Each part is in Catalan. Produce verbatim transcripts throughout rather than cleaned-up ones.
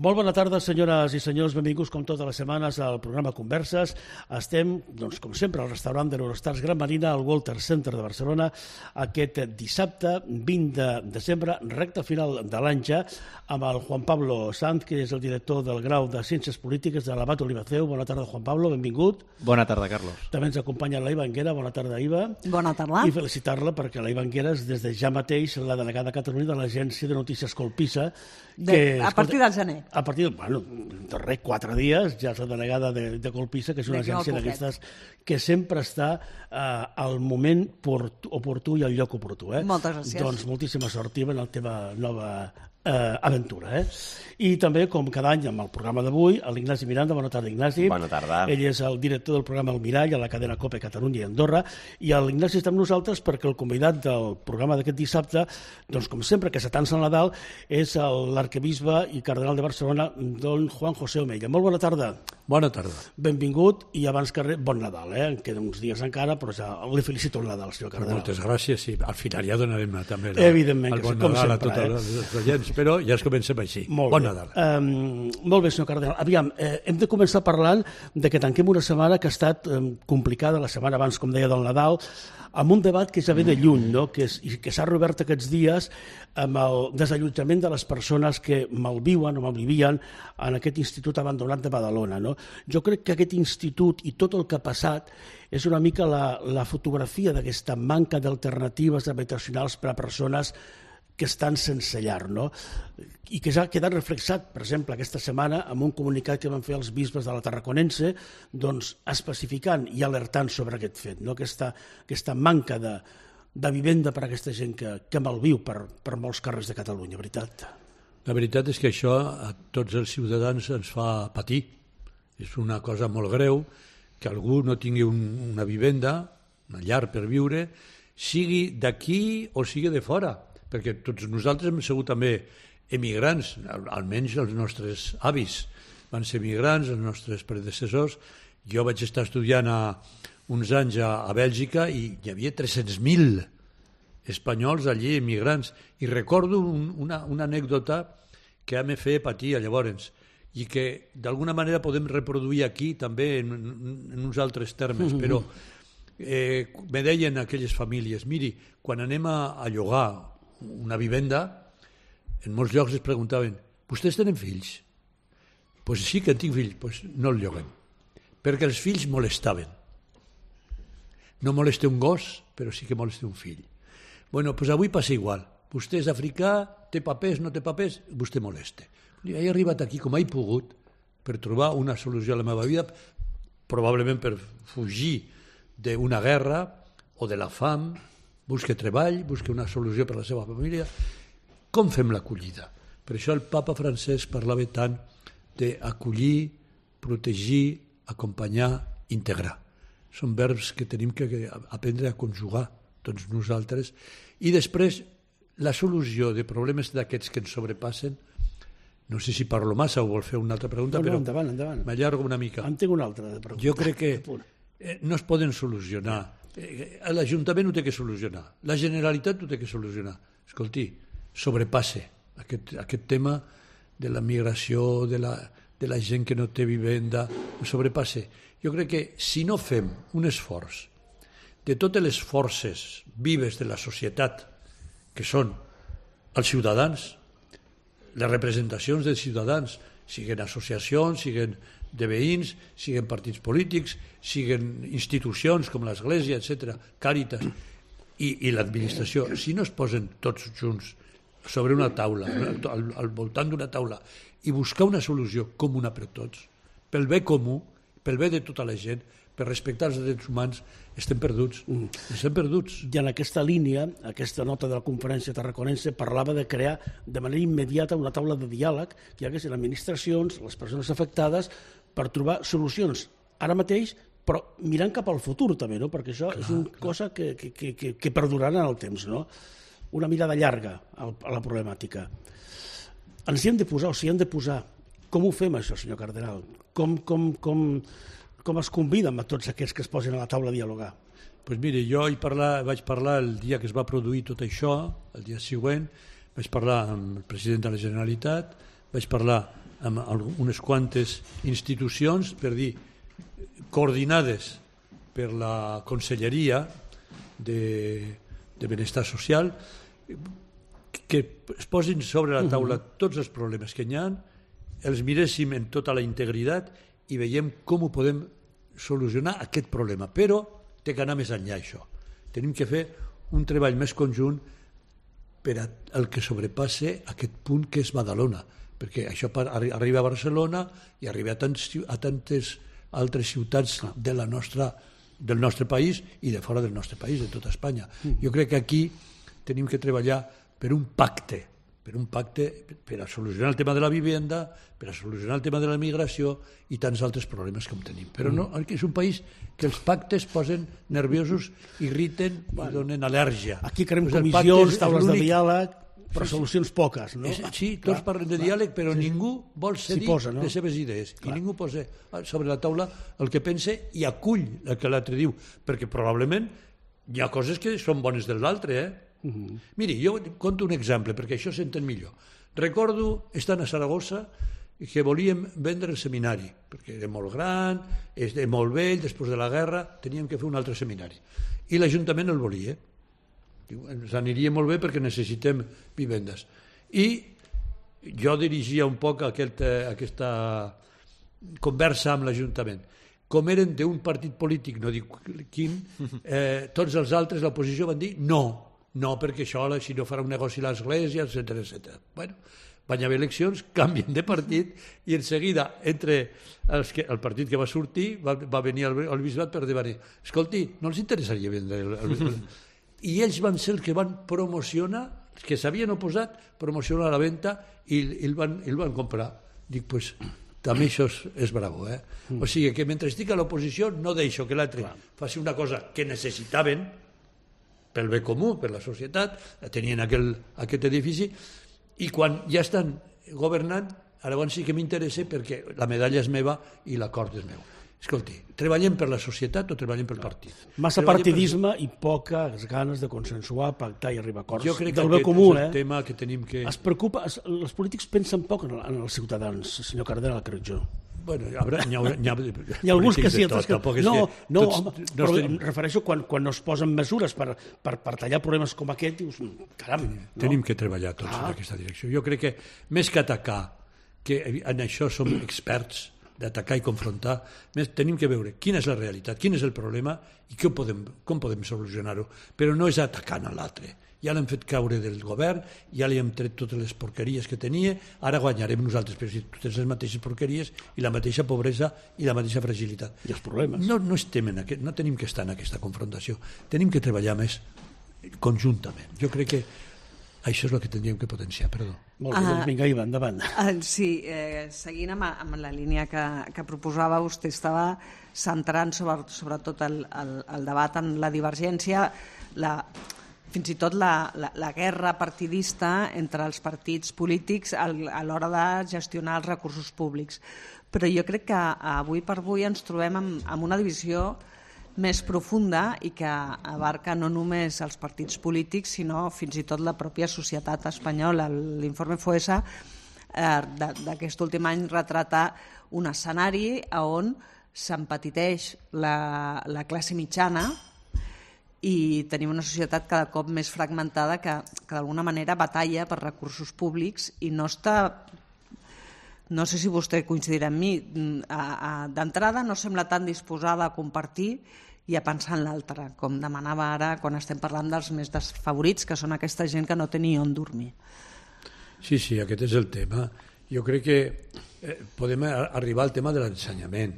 Molt bona tarda, senyores i senyors, benvinguts com totes les setmanes al programa Converses. Estem, doncs, com sempre, al restaurant de l'Eurostars Gran Marina, al Walter Center de Barcelona, aquest dissabte vint de desembre, recta final de l'any ja, amb el Juan Pablo Sanz, que és el director del grau de Ciències Polítiques de l'Abat Olivaceu. Bona tarda, Juan Pablo, benvingut. Bona tarda, Carlos. També ens acompanya la Iva Anguera. Bona tarda, Iva. Bona tarda. I felicitar-la perquè la Iva Anguera és des de ja mateix la delegada de Catalunya de l'Agència de Notícies Colpisa. De, que, a partir del gener. A partir, bueno, de res, quatre dies, ja és la delegada de, de Colpisa, que és una agència d'aquestes que sempre està eh, al moment oportú i al lloc oportú. Eh? Moltes gràcies. Doncs moltíssima sort, Iva, en la teva nova eh, aventura. Eh? I també, com cada any, amb el programa d'avui, l'Ignasi Miranda. Bona tarda, Ignasi. Bona tarda. Ell és el director del programa El Mirall a la cadena COPE Catalunya i Andorra, i l'Ignasi està amb nosaltres perquè el convidat del programa d'aquest dissabte, doncs com sempre que s'atança el Nadal, és l'arquebisbe i cardenal de Barcelona, don Juan José Omella. Molt bona tarda. Bona tarda. Benvingut i abans que res, bon Nadal, eh? En queden uns dies encara, però ja li felicito el Nadal, senyor cardenal. Moltes gràcies, i al final ja donarem també la, Evidentment, el bon com Nadal sempre, a tots eh? els oients, però ja es comencem així. Molt bon bé. Nadal. Um, molt bé, senyor cardenal. Aviam, eh, hem de començar parlant de que tanquem una setmana que ha estat eh, complicada, la setmana abans, com deia, del Nadal, amb un debat que ja ve de lluny, no? que, és, i que s'ha reobert aquests dies amb el desallotjament de les persones que malviuen o malvivien en aquest institut abandonat de Badalona. No? Jo crec que aquest institut i tot el que ha passat és una mica la, la fotografia d'aquesta manca d'alternatives habitacionals per a persones que estan sense llar, no? I que ja ha quedat reflexat, per exemple, aquesta setmana amb un comunicat que van fer els bisbes de la Tarraconense, doncs especificant i alertant sobre aquest fet, no? Aquesta, aquesta manca de, de vivenda per a aquesta gent que, que malviu per, per molts carrers de Catalunya, veritat? La veritat és que això a tots els ciutadans ens fa patir. És una cosa molt greu que algú no tingui un, una vivenda, una llar per viure, sigui d'aquí o sigui de fora, perquè tots nosaltres hem sigut també emigrants, almenys els nostres avis van ser emigrants, els nostres predecessors. Jo vaig estar estudiant a, uns anys a, a Bèlgica i hi havia tres-cents mil espanyols allí emigrants, i recordo un, una, una anècdota que em feia patir llavors i que d'alguna manera podem reproduir aquí també en, en uns altres termes, però eh, me deien aquelles famílies, miri, quan anem a, a llogar una vivenda, en molts llocs es preguntaven, vostès tenen fills? Doncs pues sí que en tinc fills, pues no el lloguem, perquè els fills molestaven. No molesta un gos, però sí que molesta un fill. Bueno, doncs pues avui passa igual. Vostè és africà, té papers, no té papers, vostè molesta. He arribat aquí com he pogut per trobar una solució a la meva vida, probablement per fugir d'una guerra o de la fam, busca treball, busca una solució per a la seva família. Com fem l'acollida? Per això el papa Francesc parlava tant d'acollir, protegir, acompanyar, integrar. Són verbs que tenim que aprendre a conjugar tots nosaltres. I després, la solució de problemes d'aquests que ens sobrepassen, no sé si parlo massa o vol fer una altra pregunta, no, no, però endavant, endavant. m'allargo una mica. En tinc una altra de pregunta. Jo crec que eh, no es poden solucionar. L'Ajuntament ho té que solucionar, la Generalitat ho té que solucionar. Escolti, sobrepasse aquest, aquest tema de la migració, de la, de la gent que no té vivenda, ho sobrepasse. Jo crec que si no fem un esforç de totes les forces vives de la societat, que són els ciutadans, les representacions dels ciutadans, siguin associacions, siguin de veïns, siguin partits polítics, siguin institucions com l'Església, etcètera, Càritas, i, i l'administració, si no es posen tots junts sobre una taula, al, al voltant d'una taula, i buscar una solució comuna per tots, pel bé comú, pel bé de tota la gent, per respectar els drets humans, estem perduts. Mm. Estem perduts. I en aquesta línia, aquesta nota de la conferència tarraconense parlava de crear de manera immediata una taula de diàleg que hi hagués les administracions, les persones afectades, per trobar solucions ara mateix, però mirant cap al futur també, no? Perquè això clar, és una clar. cosa que, que, que, que perdurarà en el temps, no? Una mirada llarga a la problemàtica. Ens hi hem de posar, o sigui, hem de posar. Com ho fem, això, senyor cardenal? Com, com, com, com es conviden a tots aquests que es posen a la taula a dialogar? Pues mire, jo hi parlar, vaig parlar el dia que es va produir tot això, el dia següent, vaig parlar amb el president de la Generalitat, vaig parlar amb unes quantes institucions, per dir, coordinades per la Conselleria de, de Benestar Social, que es posin sobre la taula tots els problemes que hi ha, els miréssim en tota la integritat i veiem com ho podem solucionar aquest problema. Però té que anar més enllà això. Tenim que fer un treball més conjunt per al que sobrepasse aquest punt que és Badalona, perquè això arriba a Barcelona i arriba a, tants, a tantes altres ciutats de la nostra, del nostre país i de fora del nostre país, de tota Espanya. Jo crec que aquí tenim que treballar per un pacte, per un pacte per a solucionar el tema de la vivenda, per a solucionar el tema de la migració i tants altres problemes com tenim. Però no, és un país que els pactes posen nerviosos, irriten i donen al·lèrgia. Aquí creem comissions, taules de diàleg, però solucions poques, no? Sí, tots parlen de diàleg, però ningú vol cedir les seves idees i ningú posa sobre la taula el que pensa i acull el que l'altre diu, perquè probablement hi ha coses que són bones de l'altre, eh? Uh-huh. Miri, jo conto un exemple perquè això s'entén millor. Recordo estant a Saragossa que volíem vendre el seminari perquè era molt gran, era molt vell, després de la guerra teníem que fer un altre seminari i l'Ajuntament el volia. Diu, ens aniria molt bé perquè necessitem vivendes. I jo dirigia un poc aquest, aquesta conversa amb l'Ajuntament. Com eren d'un partit polític, no dic quin, eh, tots els altres, l'oposició, van dir no. No, perquè això, si no farà un negoci a l'Església, etcètera, etcètera. Bueno, van haver eleccions, canvien de partit, i en seguida, entre els que, el partit que va sortir, va, va venir al, al bisbat per dir, escolti, no els interessaria vendre el, el, el... I ells van ser els que van promocionar, els que s'havien oposat, promocionar la venda i, i el, van, el van comprar. Dic, doncs, pues, també això és, és bravo, eh? O sigui, que mentre estic a l'oposició no deixo que l'altre faci una cosa que necessitaven, pel bé comú, per la societat, tenien aquel, aquest edifici, i quan ja estan governant, llavors sí que m'interessa perquè la medalla és meva i l'acord és meu. Escolti, treballem per la societat o treballem pel partit? Massa partidisme per... i poques ganes de consensuar, pactar i arribar a acords. Jo crec que aquest comú, és el eh? tema que tenim que... Es preocupa, es, els polítics pensen poc en, en els ciutadans, senyor Cardenal, crec jo. Bueno, hi, haurà, hi, haurà, hi, ha, hi ha alguns que sí, altres que... No, no, home, no però estem... em refereixo quan, quan no es posen mesures per, per, per tallar problemes com aquest, dius, caram. No? Tenim que treballar tots ah. en aquesta direcció. Jo crec que més que atacar, que en això som experts, d'atacar i confrontar, més tenim que veure quina és la realitat, quin és el problema i com podem, com podem solucionar-ho. Però no és atacant a l'altre. Ja l'hem fet caure del govern, ja li hem tret totes les porqueries que tenia, ara guanyarem nosaltres, però si tu tens les mateixes porqueries i la mateixa pobresa i la mateixa fragilitat. I els problemes. No, no, estem en aquest, no tenim que estar en aquesta confrontació, tenim que treballar més conjuntament. Jo crec que això és el que tindríem que potenciar, perdó. Molt bé, doncs vinga, Iva, endavant. Uh, sí, eh, seguint amb, amb la línia que, que proposava, vostè estava centrant sobre, sobretot el, el, el debat en la divergència, la... fins i tot la, la, la guerra partidista entre els partits polítics a l'hora de gestionar els recursos públics. Però jo crec que avui per avui ens trobem amb, amb una divisió més profunda i que abarca no només els partits polítics, sinó fins i tot la pròpia societat espanyola. L'informe FOESA eh, d'aquest últim any retrata un escenari on s'empetiteix la, la classe mitjana i tenim una societat cada cop més fragmentada que, que d'alguna manera batalla per recursos públics i no està, no sé si vostè coincidirà amb mi, d'entrada no sembla tan disposada a compartir i a pensar en l'altre, com demanava ara quan estem parlant dels més desfavorits, que són aquesta gent que no té ni on dormir. Sí, sí, aquest és el tema. Jo crec que eh, podem arribar al tema de l'ensenyament,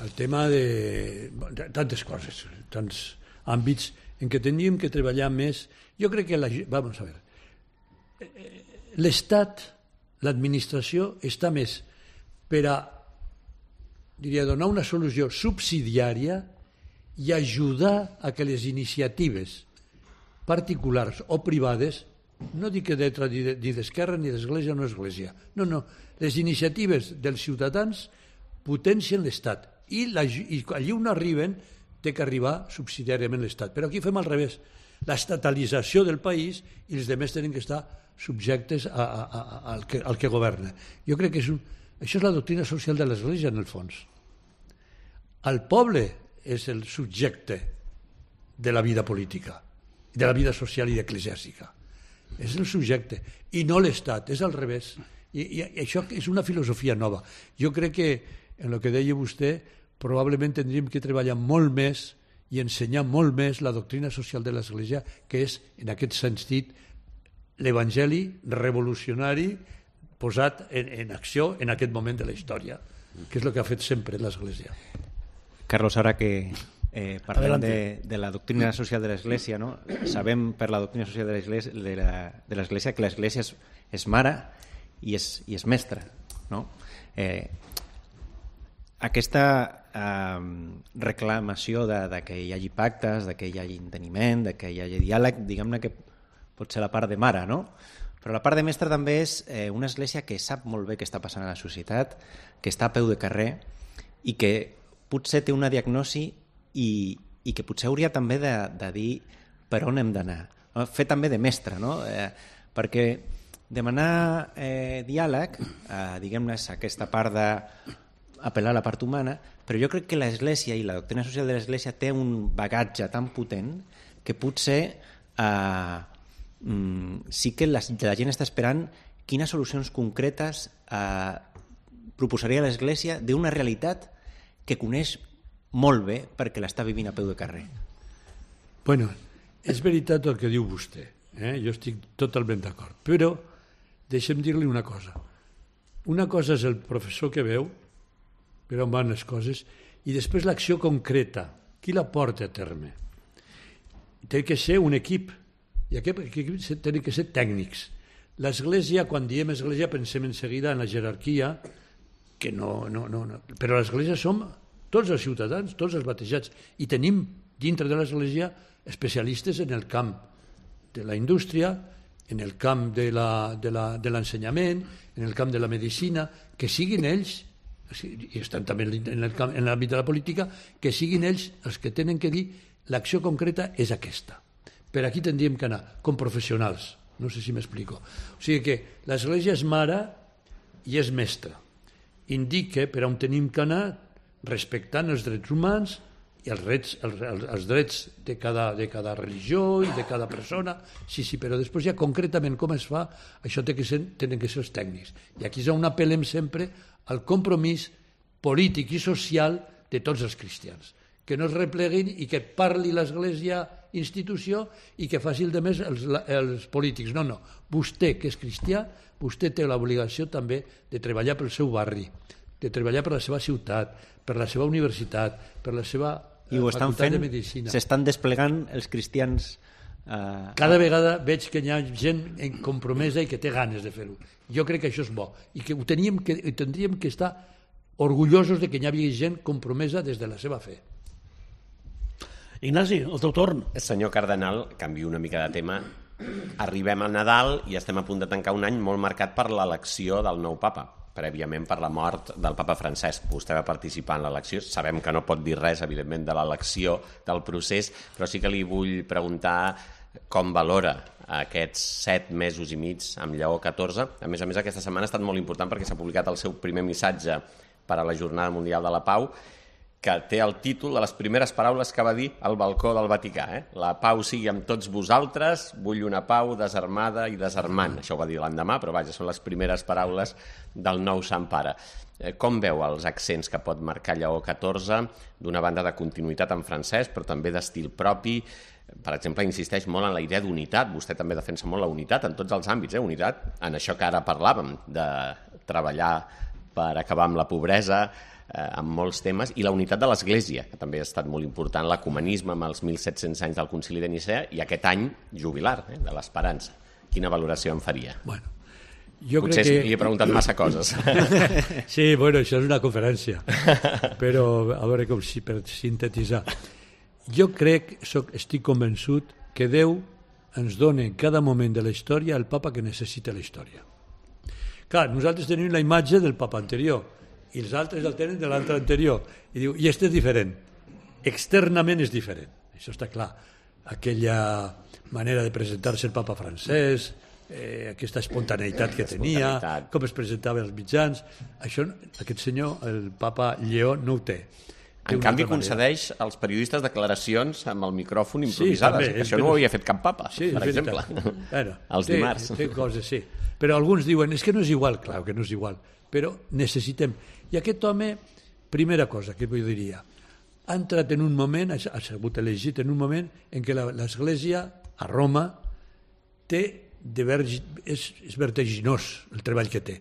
al tema de, de tantes coses, tants àmbits en què teníem que treballar més. Jo crec que la, vamos a ver, l'Estat, l'administració està més per a, diria, donar una solució subsidiària i ajudar a que les iniciatives particulars o privades, no dic que de, ni d'esquerra ni d'església o no església, no, no, les iniciatives dels ciutadans potencien l'Estat i, la, i allí on arriben té que arribar subsidiàriament l'Estat. Però aquí fem al revés, l'estatalització del país i els altres tenen que estar subjectes a, a, a, al, que, al que governa. Jo crec que és un, Això és la doctrina social de l'Església, en el fons. El poble és el subjecte de la vida política, de la vida social i eclesiàstica. És el subjecte, i no l'Estat, és al revés. I, i això és una filosofia nova. Jo crec que, en el que deia vostè, probablement tindríem que treballar molt més i ensenyar molt més la doctrina social de l'Església, que és, en aquest sentit, l'Evangeli revolucionari posat en, en acció en aquest moment de la història, que és el que ha fet sempre l'Església. Carlos, ahora que eh, parlem de, de la doctrina social de l'Església, no? Sabem per la doctrina social de l'Església de la, de l'Església que l'Església és, és mare i és, i és mestra, no? Eh, aquesta eh, reclamació de, de que hi hagi pactes, de que hi hagi enteniment, de que hi hagi diàleg, diguem-ne que pot ser la part de mare, no? Però la part de mestra també és eh, una església que sap molt bé què està passant a la societat, que està a peu de carrer i que potser té una diagnosi i, i que potser hauria també de, de dir per on hem d'anar. No? Fer també de mestre, no? Eh, perquè demanar eh, diàleg, eh, diguem-ne, és aquesta part d'apel·lar a la part humana, però jo crec que l'Església i la doctrina social de l'Església té un bagatge tan potent que potser eh, mm, sí que la, la gent està esperant quines solucions concretes eh, proposaria l'Església d'una realitat que coneix molt bé perquè l'està vivint a peu de carrer. Bueno, és veritat el que diu vostè, eh? Jo estic totalment d'acord, però deixem dir-li una cosa. Una cosa és el professor que veu per on van les coses i després l'acció concreta, qui la porta a terme. Té que ser un equip, i aquest equip té que ser tècnics. L'Església, quan diem Església, pensem en seguida en la jerarquia, que no, no, no, no. Però a l'Església som tots els ciutadans, tots els batejats, i tenim dintre de l'Església especialistes en el camp de la indústria, en el camp de l'ensenyament, en el camp de la medicina, que siguin ells, i estan també en l'àmbit de la política, que siguin ells els que tenen que dir l'acció concreta és aquesta. Per aquí tindríem que anar, com professionals, no sé si m'explico. O sigui que l'Església és mare i és mestra. Indica per on tenim que anar respectant els drets humans i els drets, els, els, els drets de cada, de cada religió i de cada persona, sí, sí, però després ja concretament com es fa, això té que ser, tenen que ser els tècnics. I aquí és on apel·lem sempre al compromís polític i social de tots els cristians, que no es repleguin i que parli l'Església institució i que faci el de més els, els polítics. No, no, vostè que és cristià, vostè té l'obligació també de treballar pel seu barri, de treballar per la seva ciutat, per la seva universitat, per la seva I ho estan facultat fent, de medicina. S'estan desplegant els cristians... Eh... Cada vegada veig que hi ha gent compromesa i que té ganes de fer-ho. Jo crec que això és bo i que ho teníem que, tindríem que estar orgullosos de que hi havia gent compromesa des de la seva fe. Ignasi, el teu torn. Senyor Cardenal, canvio una mica de tema. Arribem al Nadal i estem a punt de tancar un any molt marcat per l'elecció del nou papa, prèviament per la mort del papa Francesc. Vostè va participar en l'elecció. Sabem que no pot dir res, evidentment, de l'elecció, del procés, però sí que li vull preguntar com valora aquests set mesos i mig amb Lleó catorze. A més a més, aquesta setmana ha estat molt important perquè s'ha publicat el seu primer missatge per a la Jornada Mundial de la Pau, que té el títol de les primeres paraules que va dir al balcó del Vaticà. Eh? La pau sigui amb tots vosaltres, vull una pau desarmada i desarmant. Això ho va dir l'endemà, però vaja, són les primeres paraules del nou Sant Pare. Eh, com veu els accents que pot marcar Lleó catorze, d'una banda de continuïtat amb Francesc, però també d'estil propi? Per exemple, insisteix molt en la idea d'unitat. Vostè també defensa molt la unitat en tots els àmbits. Eh? Unitat en això que ara parlàvem, de treballar per acabar amb la pobresa, eh, amb molts temes, i la unitat de l'Església, que també ha estat molt important, l'ecumenisme amb els mil set-cents anys del Concili de Nicea i aquest any jubilar, eh, de l'Esperança. Quina valoració en faria? Bueno, jo Potser crec que... li he preguntat massa coses. Sí, bueno, això és una conferència, però a veure com si per sintetitzar. Jo crec, soc, estic convençut que Déu ens dona en cada moment de la història el papa que necessita la història. Clar, nosaltres tenim la imatge del papa anterior i els altres el tenen de l'altre anterior. I diu, i este és diferent. Externament és diferent. Això està clar. Aquella manera de presentar-se el papa Francesc, eh, aquesta espontaneïtat que tenia, com es presentava als mitjans. Això, aquest senyor, el papa Lleó, no ho té. En canvi, concedeix als periodistes declaracions amb el micròfon improvisades. Sí, també, això no ho havia fet cap papa, sí, per exemple. Bueno, els té, dimarts. Té coses, sí. Però alguns diuen, és que no és igual. Clar que no és igual, però necessitem. I aquest home, primera cosa que jo diria, ha entrat en un moment, ha sigut elegit en un moment en què l'Església, a Roma, té de vergi, és, és vertiginós el treball que té,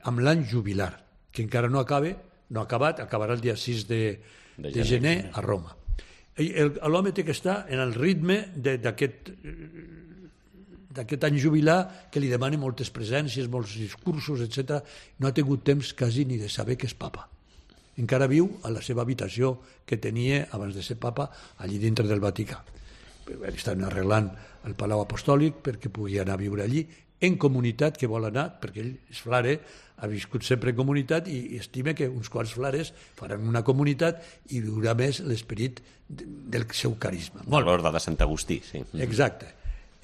amb l'any jubilar, que encara no acaba, no ha acabat, acabarà el dia sis de, de, de gener a Roma. L'home té que estar en el ritme d'aquest d'aquest any jubilar que li demana moltes presències, molts discursos, etcètera. No ha tingut temps quasi ni de saber que és papa. Encara viu a la seva habitació que tenia abans de ser papa allí dintre del Vaticà. Estan arreglant el Palau Apostòlic perquè pugui anar a viure allí en comunitat, que vol anar, perquè ell és flare, ha viscut sempre en comunitat i estima que uns quants flares faran una comunitat i viurà més l'esperit del seu carisma. L'ordre de Sant Agustí, sí. Exacte.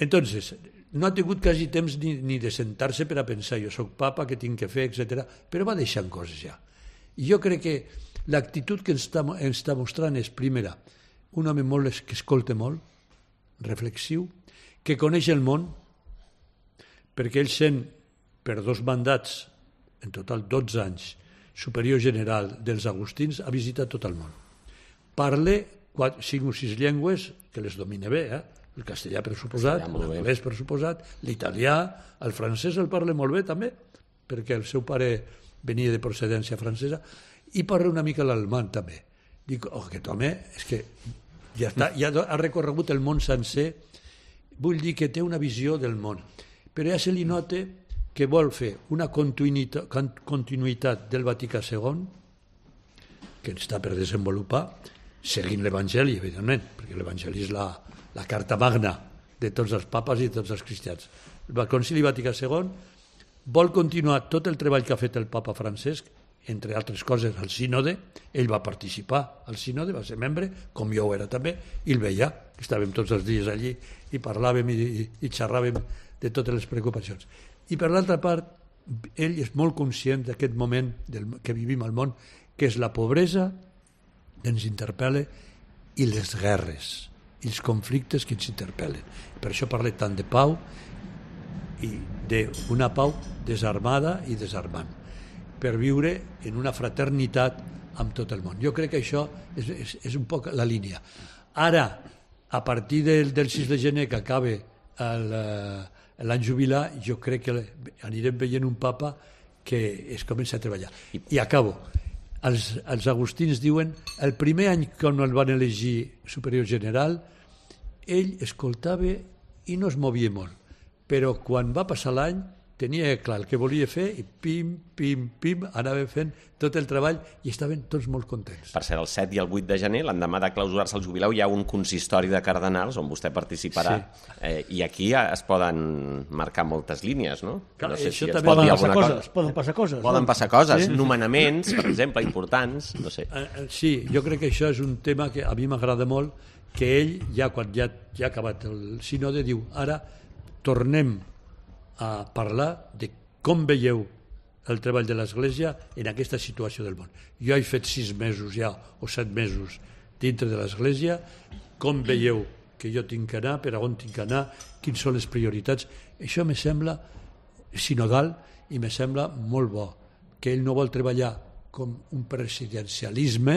Entonces, no ha tingut quasi temps ni, ni de sentar-se per a pensar jo soc papa, què tinc que fer, etcètera. Però va deixant coses ja. I jo crec que l'actitud que ens està, ens està mostrant és, primera, un home molt que escolta molt, reflexiu, que coneix el món, perquè ell sent, per dos mandats, en total dotze anys, superior general dels agustins, ha visitat tot el món. Parla quatre, cinc o sis llengües, que les domina bé, eh? El castellà per suposat, l'anglès per suposat, l'italià, el francès el parla molt bé també, perquè el seu pare venia de procedència francesa, i parla una mica l'alemany també. Dic, oh, aquest home, és que ja, està, ja ha recorregut el món sencer, vull dir que té una visió del món, però ja se li nota que vol fer una continuïtat, continuïtat del Vaticà segon, que està per desenvolupar, seguint l'Evangeli, evidentment, perquè l'Evangeli és la, la carta magna de tots els papes i de tots els cristians. El Concili Vaticà segon vol continuar tot el treball que ha fet el papa Francesc, entre altres coses, al sínode. Ell va participar al sínode, va ser membre, com jo ho era també, i el veia. Estàvem tots els dies allí i parlàvem i, i, i xerràvem de totes les preocupacions. I per l'altra part, ell és molt conscient d'aquest moment del, que vivim al món, que és la pobresa que ens interpel·la i les guerres, i els conflictes que ens interpel·len. Per això parla tant de pau i d'una pau desarmada i desarmant, per viure en una fraternitat amb tot el món. Jo crec que això és, és, és un poc la línia. Ara, a partir del, del sis de gener que acaba l'any jubilar, jo crec que anirem veient un papa que es comença a treballar. I, I acabo. Els, els agustins diuen el primer any quan el van elegir superior general, ell escoltava i no es movia molt, però quan va passar l'any tenia clar el que volia fer i pim, pim, pim, anava fent tot el treball i estaven tots molt contents. Per ser el set i el vuit de gener, l'endemà de clausurar-se el jubileu, hi ha un consistori de cardenals on vostè participarà, sí. eh, i aquí es poden marcar moltes línies, no? Clar, no sé això si també poden passar, coses, cosa. poden passar coses. Poden no? passar coses, sí. Nomenaments, per exemple, importants, no sé. Sí, jo crec que això és un tema que a mi m'agrada molt, que ell, ja quan ja, ja ha acabat el sínode, diu, ara tornem a parlar de com veieu el treball de l'Església en aquesta situació del món. Jo he fet sis mesos ja, o set mesos, dintre de l'Església, com veieu que jo tinc que anar, per on tinc que anar, quines són les prioritats. Això me sembla sinodal i me sembla molt bo, que ell no vol treballar com un presidencialisme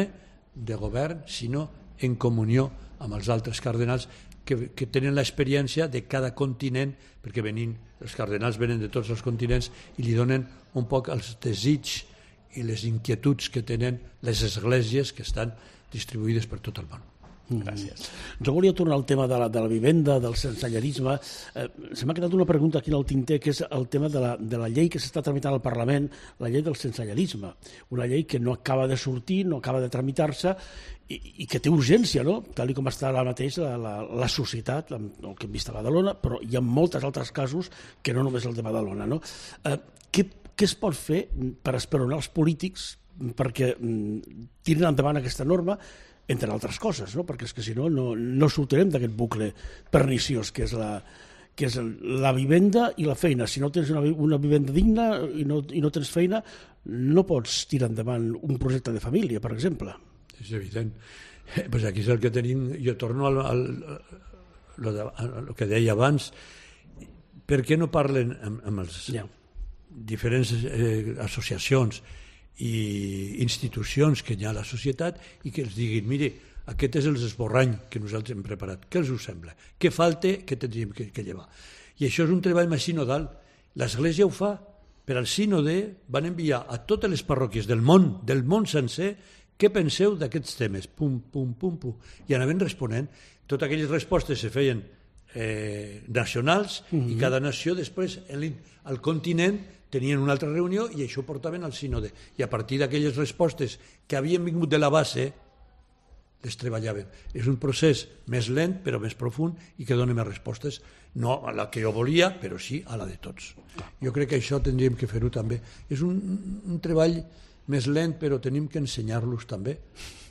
de govern, sinó en comunió amb els altres cardenals que, que tenen l'experiència de cada continent, perquè venint, els cardenals venen de tots els continents i li donen un poc els desigs i les inquietuds que tenen les esglésies que estan distribuïdes per tot el món. Gràcies. Mm. Jo volia tornar al tema de la, de la vivenda, del sensellarisme. Eh, se m'ha quedat una pregunta aquí en el tinter, que és el tema de la, de la llei que s'està tramitant al Parlament, la llei del sensellarisme. Una llei que no acaba de sortir, no acaba de tramitar-se, i, i que té urgència, no? Tal com està ara mateix la, la, la societat, el que hem vist a Badalona, però hi ha molts altres casos que no només el de Badalona, no? Eh, què, què es pot fer per esperonar els polítics perquè mm, tirin endavant aquesta norma, entre altres coses, no? Perquè és que si no, no, no sortirem d'aquest bucle perniciós que és, la, que és la vivenda i la feina. Si no tens una, una vivenda digna i no, i no tens feina, no pots tirar endavant un projecte de família, per exemple. És evident. Eh, pues aquí és el que tenim... Jo torno al, al, al, al que deia abans. Per què no parlen amb, amb els yeah. diferents eh, associacions i institucions que hi ha a la societat i que els diguin, mire, aquest és el esborrany que nosaltres hem preparat. Què els us sembla? Què falta que tindríem que, que llevar? I això és un treball més sinodal. L'Església ho fa. Per al sínode van enviar a totes les parròquies del món, del món sencer, què penseu d'aquests temes? Pum, pum, pum, pum. I anaven responent. Totes aquelles respostes se feien eh, nacionals mm-hmm. i cada nació després al continent tenien una altra reunió i això ho portaven al sínode. I a partir d'aquelles respostes que havien vingut de la base les treballaven. És un procés més lent però més profund i que dona més respostes, no a la que jo volia, però sí a la de tots. Jo crec que això tindríem que fer-ho també. És un, un treball més lent però tenim que ensenyar-los també.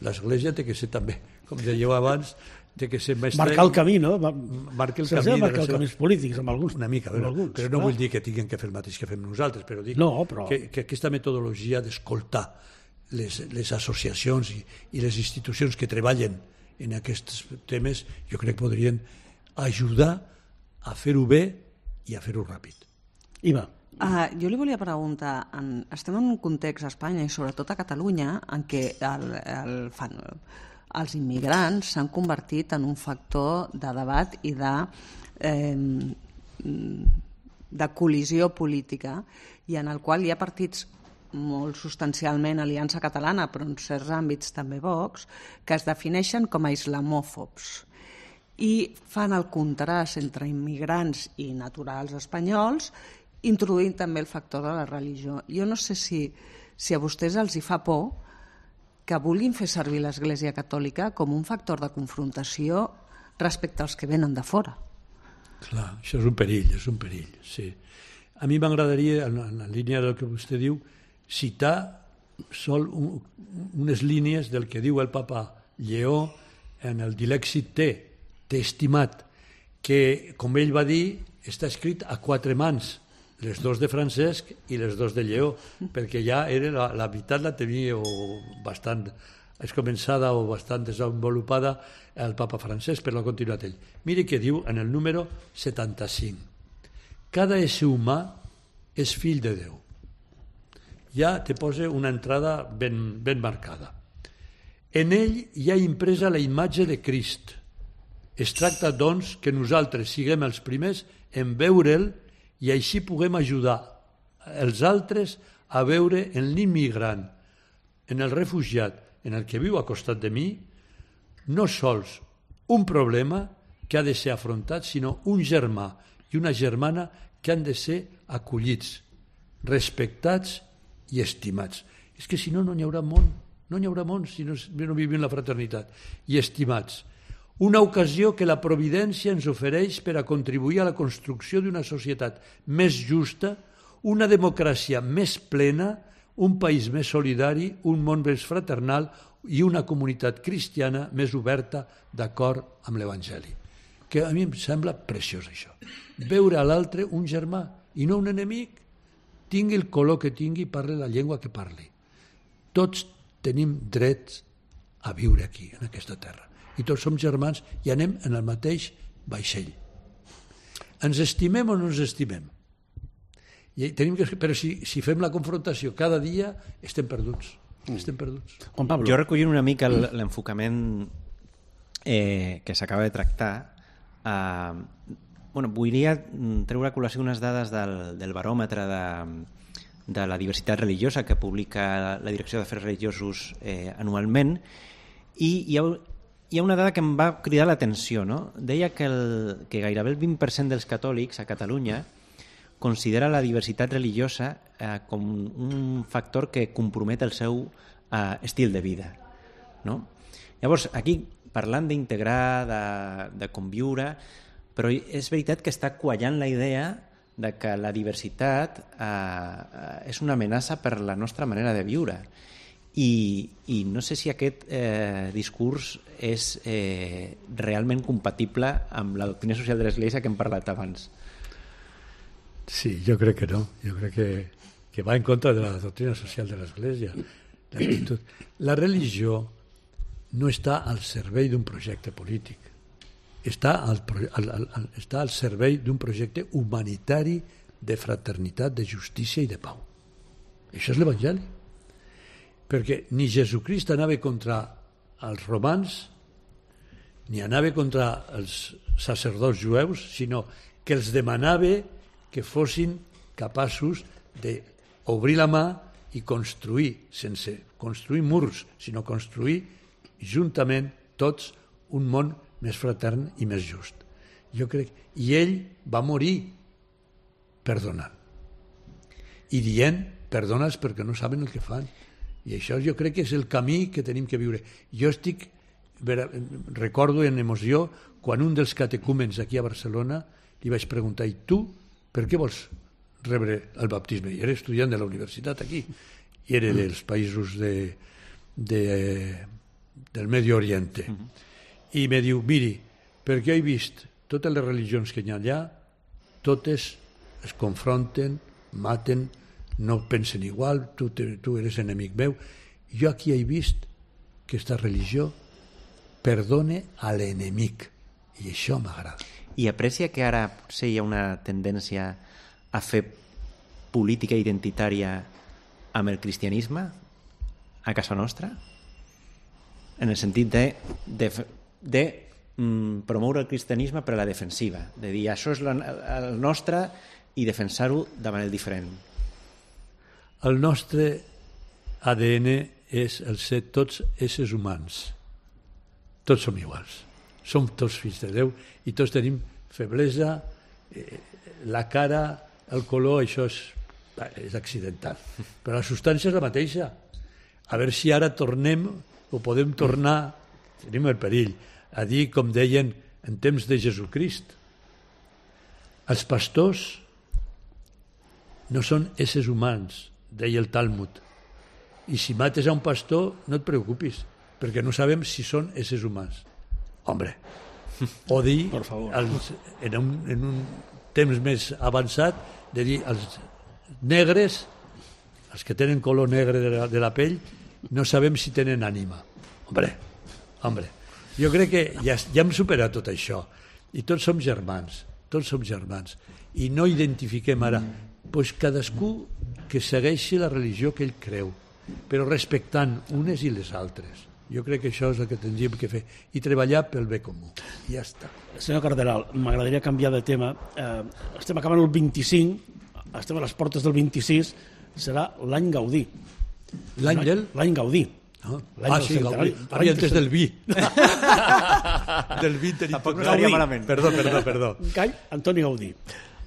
L'Església té que ser també, com dèieu abans, té que ser més... Marcar el camí, no? Marcar el camí. Marcar els camins polítics amb alguns. Una mica, però, alguns, però no clar. Vull dir que tinguin que fer el mateix que fem nosaltres, però dic no, però... que, que aquesta metodologia d'escoltar Les, les associacions i, i les institucions que treballen en aquests temes jo crec que podrien ajudar a fer-ho bé i a fer-ho ràpid. Iva. Uh, jo li volia preguntar, en, estem en un context a Espanya i sobretot a Catalunya en què el, el, fan, els immigrants s'han convertit en un factor de debat i de, eh, de col·lisió política i en el qual hi ha partits molt substancialment Aliança Catalana, però en certs àmbits també Vox, que es defineixen com a islamòfobs i fan el contrast entre immigrants i naturals espanyols, introduint també el factor de la religió. Jo no sé si, si a vostès els hi fa por que vulguin fer servir l'Església Catòlica com un factor de confrontació respecte als que venen de fora. Clar, això és un perill, és un perill, sí. A mi m'agradaria, en la línia del que vostè diu, citar sol un, unes línies del que diu el papa Lleó en el Dilexit Te, T'he estimat, que, com ell va dir, està escrit a quatre mans, les dos de Francesc i les dos de Lleó, perquè ja era la, la veritat la tenia bastant començada o bastant desenvolupada el papa Francesc, però l'ha continuat ell. Miri què diu en el número setanta-cinc. Cada ésser humà és fill de Déu. Ja te posa una entrada ben, ben marcada. En ell hi ha impresa la imatge de Crist. Es tracta, doncs, que nosaltres siguem els primers en veure'l i així puguem ajudar els altres a veure en l'immigrant, en el refugiat, en el que viu a costat de mi, no sols un problema que ha de ser afrontat, sinó un germà i una germana que han de ser acollits, respectats i estimats. És que si no, no n'hi haurà món. No n'hi haurà món si no, no vivim la fraternitat. I estimats. Una ocasió que la providència ens ofereix per a contribuir a la construcció d'una societat més justa, una democràcia més plena, un país més solidari, un món més fraternal i una comunitat cristiana més oberta d'acord amb l'Evangeli. Que a mi em sembla preciós això. Veure a l'altre un germà i no un enemic, tingui el color que tingui, parli la llengua que parli. Tots tenim drets a viure aquí, en aquesta terra. I tots som germans i anem en el mateix vaixell. Ens estimem o no ens estimem? I tenim que, però si, si fem la confrontació cada dia, estem perduts. Estem perduts. Juan Pablo. Jo recollint una mica l'enfocament eh, que s'acaba de tractar, eh, bueno, volia treure a col·lació unes dades del, del baròmetre de, de la diversitat religiosa que publica la Direcció d'Afers Religiosos eh, anualment, i hi ha, hi ha una dada que em va cridar l'atenció, no? Deia que, el, que gairebé el vint per cent dels catòlics a Catalunya considera la diversitat religiosa eh, com un factor que compromet el seu eh, estil de vida, no? Llavors, aquí, parlant d'integrar, de, de conviure, però és veritat que està quallant la idea de que la diversitat eh, és una amenaça per la nostra manera de viure. I, i no sé si aquest eh, discurs és eh, realment compatible amb la doctrina social de l'Església que hem parlat abans. Sí, jo crec que no. Jo crec que, que va en contra de la doctrina social de l'Església. L'actitud. La religió no està al servei d'un projecte polític. Està al, al, al, està al servei d'un projecte humanitari de fraternitat, de justícia i de pau. Això és l'Evangeli. Perquè ni Jesucrist anava contra els romans, ni anava contra els sacerdots jueus, sinó que els demanava que fossin capaços d'obrir la mà i construir, sense construir murs, sinó construir juntament tots un món més fratern i més just. Jo crec, i ell va morir perdonant i dient perdona'ls perquè no saben el que fan, i això jo crec que és el camí que tenim que viure. Jo estic, recordo en emoció quan un dels catecúmens aquí a Barcelona li vaig preguntar, i tu per què vols rebre el baptisme? I era estudiant de la universitat aquí i era dels països de, de, del Medio Oriente. I me diu, miri, perquè he vist totes les religions que hi ha allà, totes es confronten, maten, no pensen igual, tu, te, tu eres enemic meu. Jo aquí he vist que aquesta religió perdone a l'enemic, i això m'agrada. I aprecia que ara potser hi ha una tendència a fer política identitària amb el cristianisme a casa nostra? En el sentit de, de, de mm, promoure el cristianisme per a la defensiva, de dir això és la, el nostre i defensar-ho de manera diferent. El nostre A D N és el ser tots éssers humans. Tots som iguals. Som tots fills de Déu i tots tenim feblesa, eh, la cara, el color, això és, és accidental. Però la substància és la mateixa. A veure si ara tornem o podem tornar, tenim el perill, a dir, com deien en temps de Jesucrist, els pastors no són éssers humans, deia el Talmud, i si mates a un pastor no et preocupis, perquè no sabem si són éssers humans. Hombre, o dir els, en, un, en un temps més avançat, de dir els negres, els que tenen color negre de la, de la pell, no sabem si tenen ànima. Hombre, hombre, jo crec que ja, ja hem superat tot això, i tots som germans, tots som germans, i no identifiquem ara, doncs cadascú que segueixi la religió que ell creu, però respectant unes i les altres. Jo crec que això és el que tindríem que fer, i treballar pel bé comú. I ja està. Senyor Cardenal, m'agradaria canviar de tema. Eh, estem acabant el vint-i-cinc, estem a les portes del vint-i-sis, serà l'any Gaudí. L'any del? L'any Gaudí. No? Ah, sí, Gaudí. Havia entès del vi. Del vi tenim Tampoc tot. no estaria malament. Perdó, perdó, perdó. Gai Antoni Gaudí.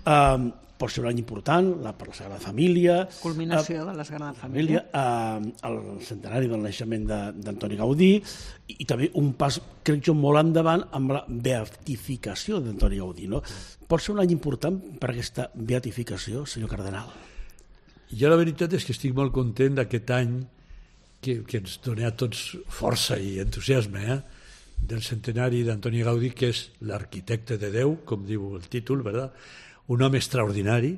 Um, pot ser un any important, la, per la Sagrada Família... Culminació uh, de la Sagrada Família. Família uh, el centenari del naixement d'Antoni Gaudí, i, i també un pas, crec jo, molt endavant amb la beatificació d'Antoni Gaudí. No? Pot ser un any important per aquesta beatificació, senyor Cardenal? Jo la veritat és que estic molt content d'aquest any que, que ens dona a tots força i entusiasme, eh? Del centenari d'Antoni Gaudí, que és l'arquitecte de Déu, com diu el títol, ¿verdad? Un home extraordinari,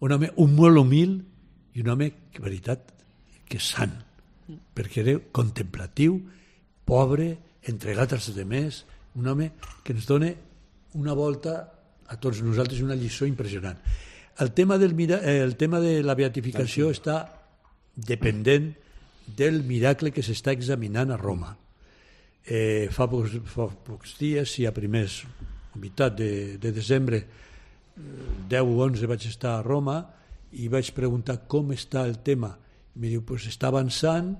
un home un molt humil i un home, de veritat, que és sant, perquè era contemplatiu, pobre, entregat als altres, un home que ens dona una volta a tots nosaltres, una lliçó impressionant. El tema, del, el tema de la beatificació està dependent del miracle que s'està examinant a Roma. Eh, fa, pocs, fa pocs dies, i a primers, a meitat de, de desembre, deu o onze vaig estar a Roma i vaig preguntar com està el tema. I em diu, pues està avançant,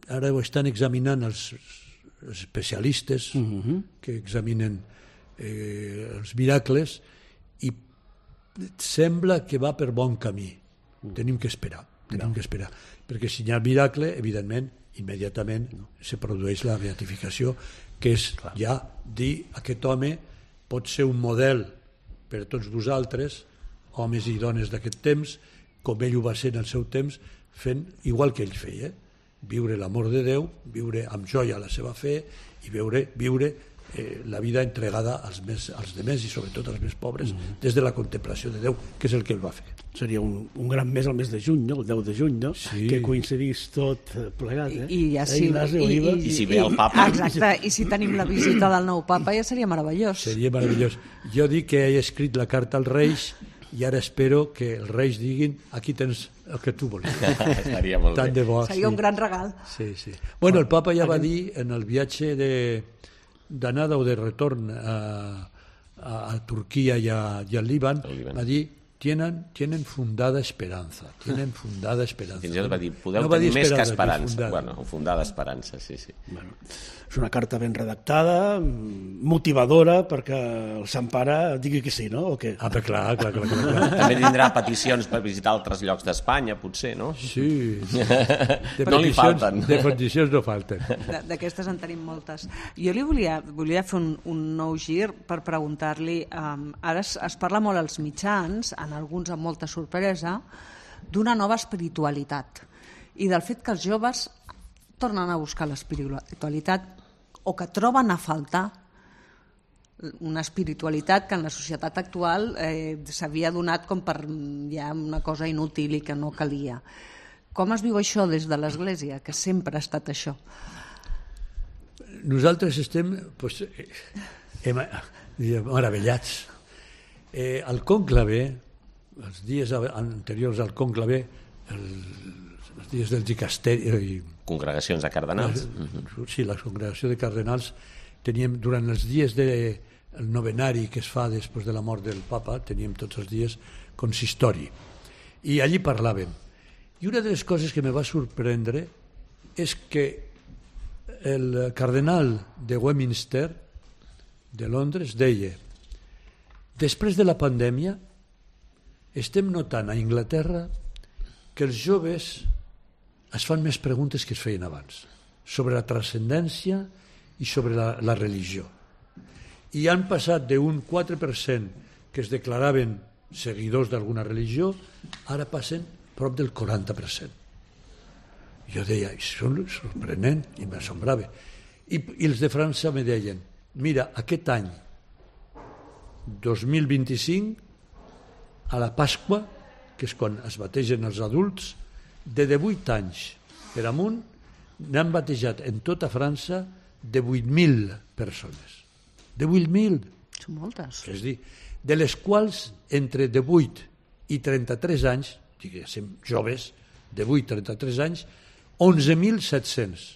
ara ho estan examinant els, els especialistes uh-huh. que examinen eh, els miracles, i sembla que va per bon camí. Uh. Tenim que esperar, tenim no. que esperar, perquè si hi ha miracle, evidentment, immediatament no. se produeix la beatificació, que és Clar. ja dir aquest home pot ser un model per tots vosaltres, homes i dones d'aquest temps, com ell ho va ser en el seu temps, fent igual que ell feia, viure l'amor de Déu, viure amb joia la seva fe i viure, viure eh, la vida entregada als, més, als demés i sobretot als més pobres mm-hmm. des de la contemplació de Déu, que és el que ell va fer. Seria un, un gran mes el mes de juny, no? El deu de juny, no? Sí. Que coincidís tot plegat, eh? I, i, ja sí, Ignasi, i, Oliva. I si ve el papa. Exacte, i si tenim la visita del nou papa ja seria meravellós. Seria meravellós. Jo dic que he escrit la carta als Reis i ara espero que els Reis diguin aquí tens el que tu volies. Estaria molt Tant bé. de bo, Seria sí. un gran regal. Sí, sí. Bueno, el papa ja va dir en el viatge de d'anada o de retorn a, a, a Turquia i, a, i al Líban, Líban, va dir tienen, tienen fundada esperanza, tienen fundada esperanza. Fins i tot va dir, podeu no va tenir dir més que esperança, esperança. fundada. Bueno, fundada esperança, sí, sí. Bueno, és una carta ben redactada, motivadora, perquè el Sant Pare digui que sí, no? O què? Ah, però clar, clar, clar, clar, clar. També tindrà peticions per visitar altres llocs d'Espanya, potser, no? Sí. De No li falten. De peticions no falten. De- D'aquestes en tenim moltes. Jo li volia, volia fer un, un nou gir per preguntar-li, um, ara es, es parla molt als mitjans, en alguns amb molta sorpresa, d'una nova espiritualitat i del fet que els joves tornen a buscar l'espiritualitat o que troben a faltar una espiritualitat que en la societat actual eh, s'havia donat com per ja una cosa inútil i que no calia. Com es viu això des de l'Església, que sempre ha estat això? Nosaltres estem pues, eh, hem, meravellats. Eh, el cònclave, els dies anteriors al cònclave, el, els dies del dicasteri... Congregacions de cardenals. Sí, la congregació de cardenals, teníem, durant els dies del novenari que es fa després de la mort del papa, teníem tots els dies consistori. I allí parlàvem. I una de les coses que me va sorprendre és que el cardenal de Westminster, de Londres, deia: després de la pandèmia estem notant a Anglaterra que els joves es fan més preguntes que es feien abans sobre la transcendència i sobre la, la religió. I han passat d'un quatre per cent que es declaraven seguidors d'alguna religió, ara passen prop del quaranta per cent. Jo deia, això és sorprenent, i m'assombrava. I, I els de França me deien, mira, aquest any, dos mil vint-i-cinc, a la Pasqua, que és quan es bategen els adults, de divuit anys per amunt, n'han batejat en tota França de vuit mil persones. De vuit mil. Són moltes. És dir, de les quals entre divuit i trenta-tres anys, diguéssim, joves, de divuit a trenta-tres anys, onze mil set-cents.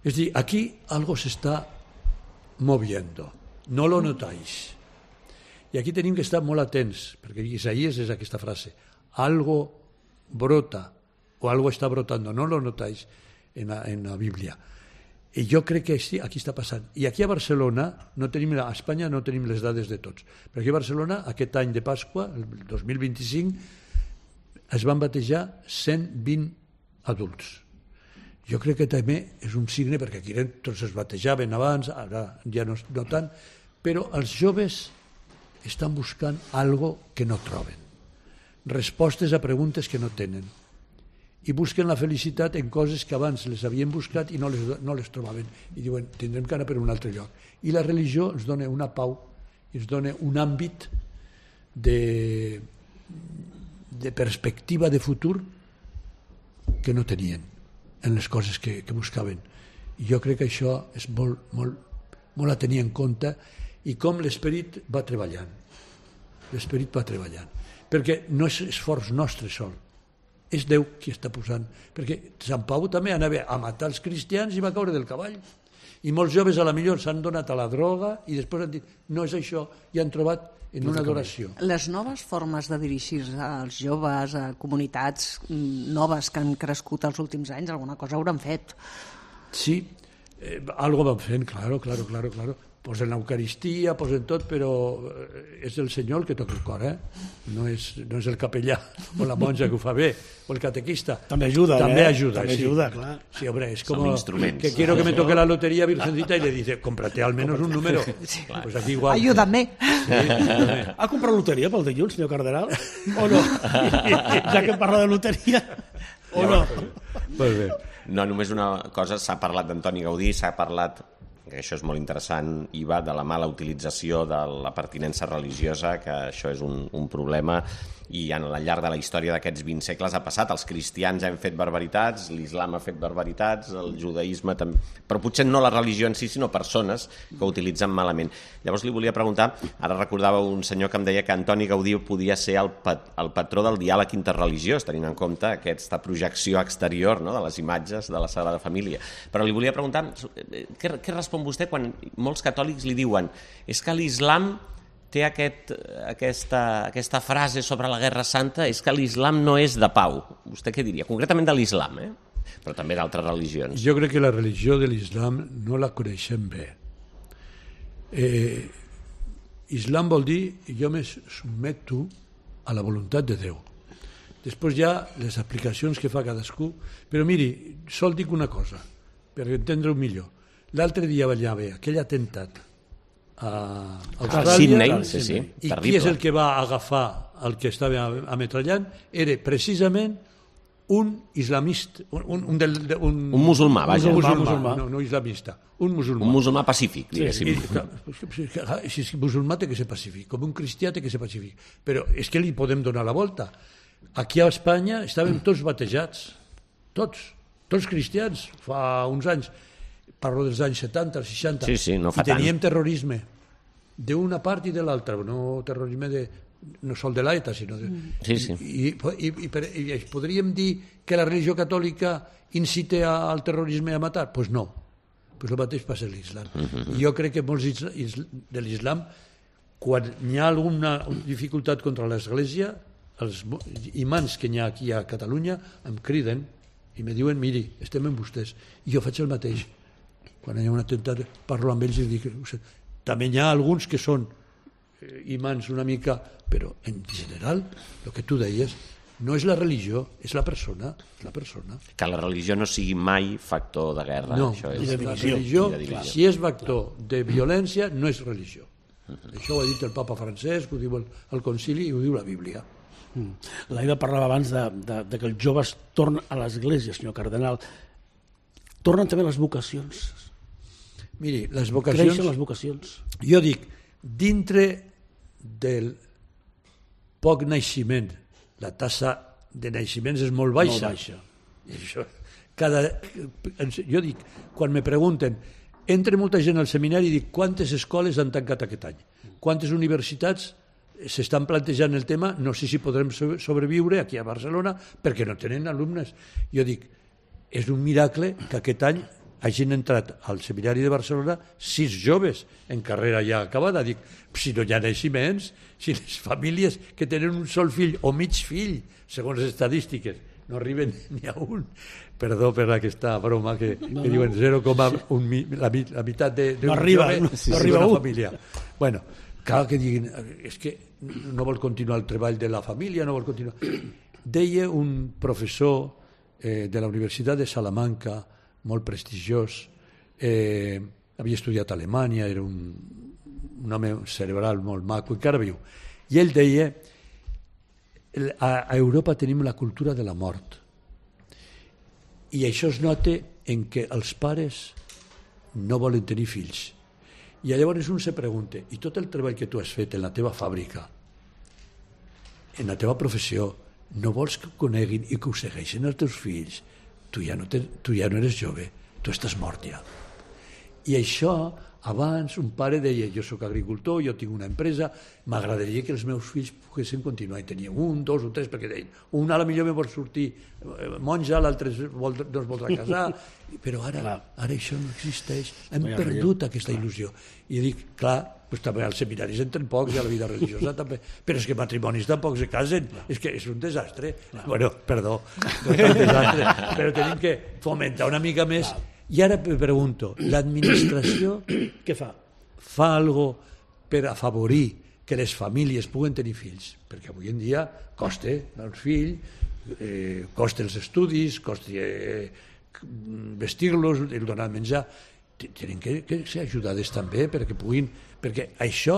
És dir, aquí algo s'està moviendo. No lo notáis. I aquí tenim que estar molt atents, perquè Isaías és aquesta frase, algo brota o algo está brotando, no lo notáis en la, en la Biblia. I jo crec que sí, aquí està passant. I aquí a Barcelona, no tenim, a Espanya no tenim les dades de tots, però aquí a Barcelona, aquest any de Pasqua, el dos mil vint-i-cinc, es van batejar cent vint adults. Jo crec que també és un signe, perquè aquí tots es batejaven abans, ara ja no, no tant, però els joves estan buscant algo que no troben, respostes a preguntes que no tenen, i busquen la felicitat en coses que abans les havien buscat i no les, no les trobaven, i diuen, tindrem que anar per un altre lloc. I la religió ens dona una pau, ens dona un àmbit de, de perspectiva de futur que no tenien en les coses que, que buscaven. I jo crec que això és molt, molt, molt a tenir en compte, i com l'esperit va treballant. L'esperit va treballant. Perquè no és esforç nostre sol, és Déu qui està posant. Perquè Sant Pau també anava a matar els cristians i va caure del cavall. I molts joves a la millor s'han donat a la droga i després han dit, no és això, i han trobat en una adoració. Les noves formes de dirigir-se als joves, a comunitats noves que han crescut els últims anys, alguna cosa hauran fet. Sí, eh, algo van fent, claro, claro, claro, claro. Posen l'Eucaristia, posen tot, però és el Senyor el que toca el cor, eh? No és, no és el capellà o la monja que ho fa bé, o el catequista. També ajuda, També eh? ajuda, També sí. ajuda, clar. Sí, hombre, es Son como instrumentos. que quiero que me toque la lotería Virgencita y le dice, cómprate al menos un número. Sí, pues aquí igual. Ayúdame. Sí, ayúdame. Ha comprat loteria pel dilluns, senyor Cardenal? O no? Ja que parla de loteria... O no? Molt bé. No, només una cosa, s'ha parlat d'Antoni Gaudí, s'ha parlat, que això és molt interessant, Iva, de la mala utilització de la pertinença religiosa, que això és un, un problema, i al llarg de la història d'aquests vint segles ha passat. Els cristians hem fet barbaritats, l'islam ha fet barbaritats, el judaïsme també, però potser no la religió en si, sinó persones que ho utilitzen malament. Llavors li volia preguntar, ara recordava un senyor que em deia que Antoni Gaudí podia ser el, pat, el patró del diàleg interreligiós, tenint en compte aquesta projecció exterior, no?, de les imatges de la Sagrada Família. Però li volia preguntar, què, què respon vostè quan molts catòlics li diuen és que l'islam té aquest, aquesta, aquesta frase sobre la Guerra Santa, és que l'islam no és de pau. Vostè què diria? Concretament de l'islam, eh? Però també d'altres religions. Jo crec que la religió de l'islam no la coneixem bé. Eh, islam vol dir jo me submeto a la voluntat de Déu. Després hi ha les aplicacions que fa cadascú, però miri, sol dic una cosa, per entendre-ho millor. L'altre dia vaig haver aquell atemptat a Austràlia, Sydney, sí, sí, i terrible. qui és el que va agafar el que estava ametrallant? Era precisament un islamista, un, un, del, un, un musulmà, vaja. Un musulmà, musulmà. No, no islamista, un musulmà. Un musulmà pacífic, diguéssim. Sí, si és musulmà té que ser pacífic, com un cristià té que ser pacífic, però és que li podem donar la volta. Aquí a Espanya estàvem tots batejats, tots, tots cristians, fa uns anys, parlo dels anys setanta, seixanta, sí, sí, no fa i teníem tant. terrorisme d'una part i de l'altra, no terrorisme de, no sol de l'ETA, sinó de, sí, sí. I, i, i, per, i podríem dir que la religió catòlica incita al terrorisme a matar? Doncs pues no, pues el mateix passa a l'islam. Uh -huh. Jo crec que molts isla, isla, de l'islam, quan hi ha alguna dificultat contra l'Església, els imams que hi ha aquí a Catalunya em criden i me diuen, miri, estem amb vostès, i jo faig el mateix. Quan hi ha un atemptat parlo amb ells i dic, també hi ha alguns que són imants una mica, però en general el que tu deies no és la religió, és la persona, és la persona. Que la religió no sigui mai factor de guerra. No, això és, i de divisió. religió, I de divisió. si és factor de violència, no és religió. Uh-huh. Això ho ha dit el papa Francesc, ho diu el, el concili i ho diu la Bíblia. Mm. L'Aida parlava abans de, de, de que els joves tornen a l'església, senyor cardenal. Tornen també les vocacions. Miri, les vocacions... Creixen les vocacions. Jo dic, dintre del poc naixement, la tassa de naixements és molt baixa. Molt baixa. I això, cada, jo dic, quan me pregunten, entra molta gent al seminari i dic, quantes escoles han tancat aquest any? Quantes universitats s'estan plantejant el tema? No sé si podrem sobreviure aquí a Barcelona perquè no tenen alumnes. Jo dic, és un miracle que aquest any hagin entrat al seminari de Barcelona sis joves en carrera ja acabada. Dic, si no hi ha naixements, si les famílies que tenen un sol fill o mig fill, segons les estadístiques, no arriben ni a un. Perdó per aquesta broma que, no, que diuen zero coma un, la, la meitat de, de no un arriba, jove no, sí, no sí, arriba una un. família. Bueno, cal que diguin, és que no vol continuar el treball de la família, no vol continuar. Deia un professor eh, de la Universitat de Salamanca, molt prestigiós, eh, havia estudiat a Alemanya, era un, un home cerebral molt maco, encara viu. I ell deia, a, a Europa tenim la cultura de la mort. I això es nota en què els pares no volen tenir fills. I llavors un se pregunta, i tot el treball que tu has fet en la teva fàbrica, en la teva professió, no vols que ho coneguin i que ho segueixin els teus fills? Tu ja no, te, tu ja no eres jove, tu estàs mort ja. I això, abans un pare deia, jo sóc agricultor, jo tinc una empresa, m'agradaria que els meus fills poguessin continuar. I tenia un, dos o tres, perquè deien, un a la millor me vol sortir monja, l'altre no es voldrà casar, però ara, ara això no existeix. Hem perdut aquesta il·lusió. I dic, clar, pues també als seminaris entren pocs i a la vida religiosa també, però és que matrimonis tampoc se casen, és que és un desastre. Bueno, perdó, no és un desastre, però tenim que fomentar una mica més. I ara me pregunto, l'administració què fa? Fa algo per afavorir que les famílies puguen tenir fills? Perquè avui en dia costa els fills, eh, costa els estudis, costa eh, vestir-los, donar menjar. Tenen que, que ser ajudades també perquè puguin... Perquè això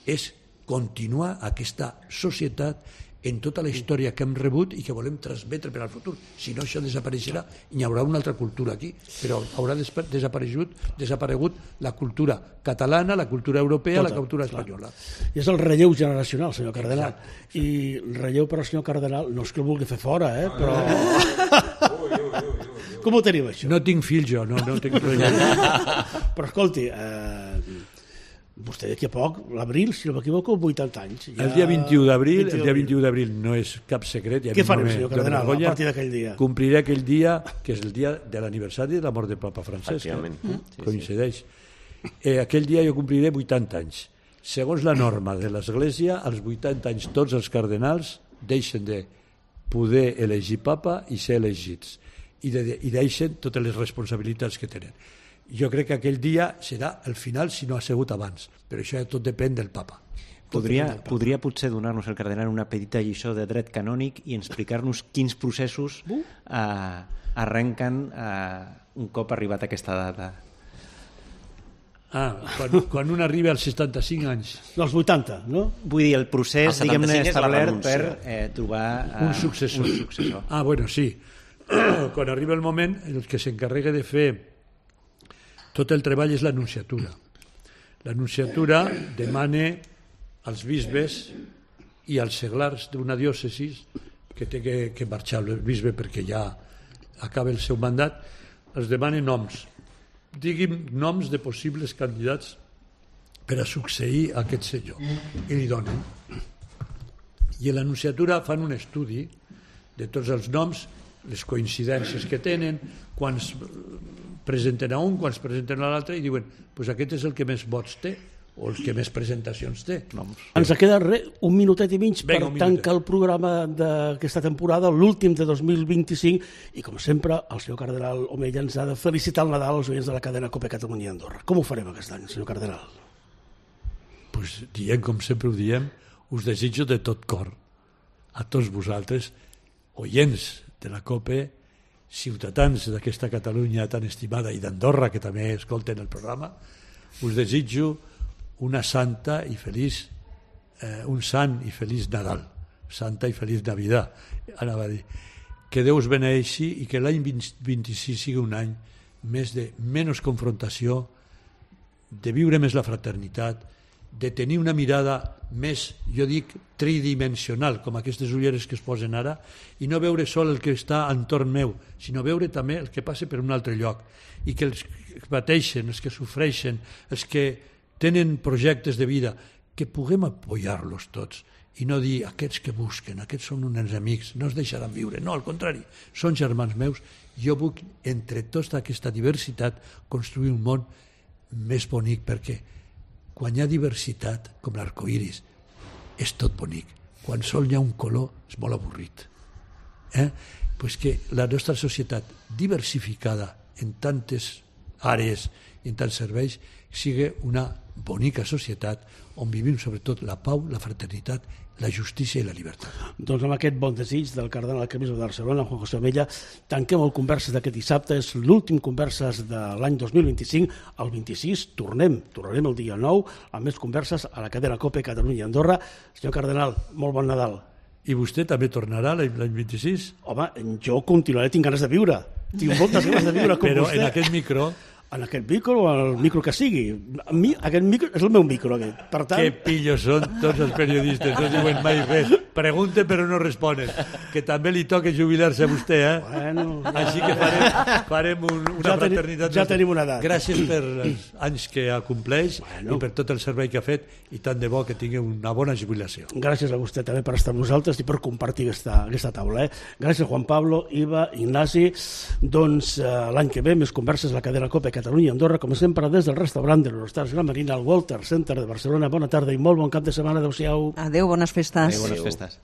és continuar aquesta societat en tota la història que hem rebut i que volem transmetre per al futur. Si no, això desapareixerà i hi haurà una altra cultura aquí, però haurà desaparegut, desaparegut la cultura catalana, la cultura europea, tota, la cultura espanyola. I és el relleu generacional, senyor Cardenal. Exacte. I relleu per al senyor Cardenal, no és que el vulgui fer fora, eh? Però... Com ho tenim, això? No tinc fills, jo, no, no tinc relleu. Però escolti, eh... vostè d'aquí a poc, l'abril, si no m'equivoco, vuitanta anys. Ja... El dia vint-i-u d'abril, el dia vint-i-u d'abril no és cap secret. Què farem, senyor Cardenal, a partir d'aquell dia? Compliré aquell dia, que és el dia de l'aniversari de la mort del papa Francesc. Efectivament. Eh? Sí, coincideix. Sí. Eh, aquell dia jo compliré vuitanta anys. Segons la norma de l'Església, als vuitanta anys tots els cardenals deixen de poder elegir papa i ser elegits. I, de, i deixen totes les responsabilitats que tenen. Jo crec que aquell dia serà el final si no ha sigut abans, però això tot depèn del papa. Podria, del papa. Podria potser donar-nos el cardenal una petita lliçó de dret canònic i explicar-nos quins processos uh. eh, arrenquen eh, un cop arribat a aquesta data. Ah, quan, quan un arriba als setanta-cinc anys. Dels vuitanta, no? Vull dir, el procés, el diguem-ne, establert per eh, trobar eh, un, successor. un successor. Ah, bueno, sí. Quan arriba el moment, el que s'encarrega de fer tot el treball és l'anunciatura. L'anunciatura demana als bisbes i als seglars d'una diòcesi que té que, que marxar el bisbe perquè ja acaba el seu mandat, els demana noms. Digui'm noms de possibles candidats per a succeir a aquest senyor. I li donen. I a l'anunciatura fan un estudi de tots els noms, les coincidències que tenen, quants presenten a un, quants presenten a l'altre, i diuen, pues aquest és el que més vots té, o el que més presentacions té. Noms. Ens queda res, un minutet i mig per tancar el programa d'aquesta temporada, l'últim de dos mil vint-i-cinc, i com sempre, el senyor Cardenal Omella ens ha de felicitar el Nadal als oients de la cadena COPE Catalunya i Andorra. Com ho farem aquest any, senyor Cardenal? Pues diem, com sempre ho diem, us desitjo de tot cor a tots vosaltres, oients de la COPE, ciutadans d'aquesta Catalunya tan estimada i d'Andorra, que també escolten el programa, us desitjo una santa i feliç, eh, un sant i feliç Nadal, santa i feliç Navidad, anava a dir. Que Déu us beneeixi i que l'any vint-i-sis sigui un any més de menys confrontació, de viure més la fraternitat, de tenir una mirada més, jo dic, tridimensional, com aquestes ulleres que es posen ara, i no veure sol el que està entorn meu, sinó veure també el que passa per un altre lloc, i que els que pateixen, els que sofreixen, els que tenen projectes de vida, que puguem apoyar-los tots, i no dir, aquests que busquen, aquests són uns amics, no es deixaran viure, no, al contrari, són germans meus, jo vull, entre tota aquesta diversitat, construir un món més bonic, perquè quan hi ha diversitat, com l'arcoiris, és tot bonic. Quan sol hi ha un color, és molt avorrit. Eh? Pues que la nostra societat diversificada en tantes àrees i en tants serveis sigui una bonica societat on vivim sobretot la pau, la fraternitat, la justícia i la llibertat. Doncs amb aquest bon desig del cardenal arquebisbe de Barcelona, Juan José Omella, tanquem el Converses d'aquest dissabte. És l'últim Converses de l'any dos mil vint-i-cinc. El vint-i-sis tornem, tornarem el dia nou amb més converses a la cadena COPE Catalunya i Andorra. Senyor cardenal, molt bon Nadal. I vostè també tornarà l'any vint-i-sis? Home, jo continuaré, tinc ganes de viure. Tinc moltes ganes de viure com Però vostè. Però en aquest micro... En aquest micro o en el micro que sigui. A mi, aquest micro és el meu micro. Aquest. Per tant... Que pillos són tots els periodistes, no diuen mai res. Pregunten però no responen. Que també li toca jubilar-se a vostè, eh? Bueno, Així que farem, farem un, una ja fraternitat. Teni, ja tenim una edat. Gràcies per els anys que compleix bueno. i per tot el servei que ha fet, i tant de bo que tingui una bona jubilació. Gràcies a vostè també per estar amb nosaltres i per compartir aquesta, aquesta taula. Eh? Gràcies Juan Pablo, Iva, Ignasi. Doncs eh, l'any que ve més converses a la cadena COPE Catalunya i Andorra, com sempre des del restaurant de l'Hortals Gran Marina, al Walter Center de Barcelona. Bona tarda i molt bon cap de setmana. Adéu-siau. Adéu, bones festes. Adéu, bones festes.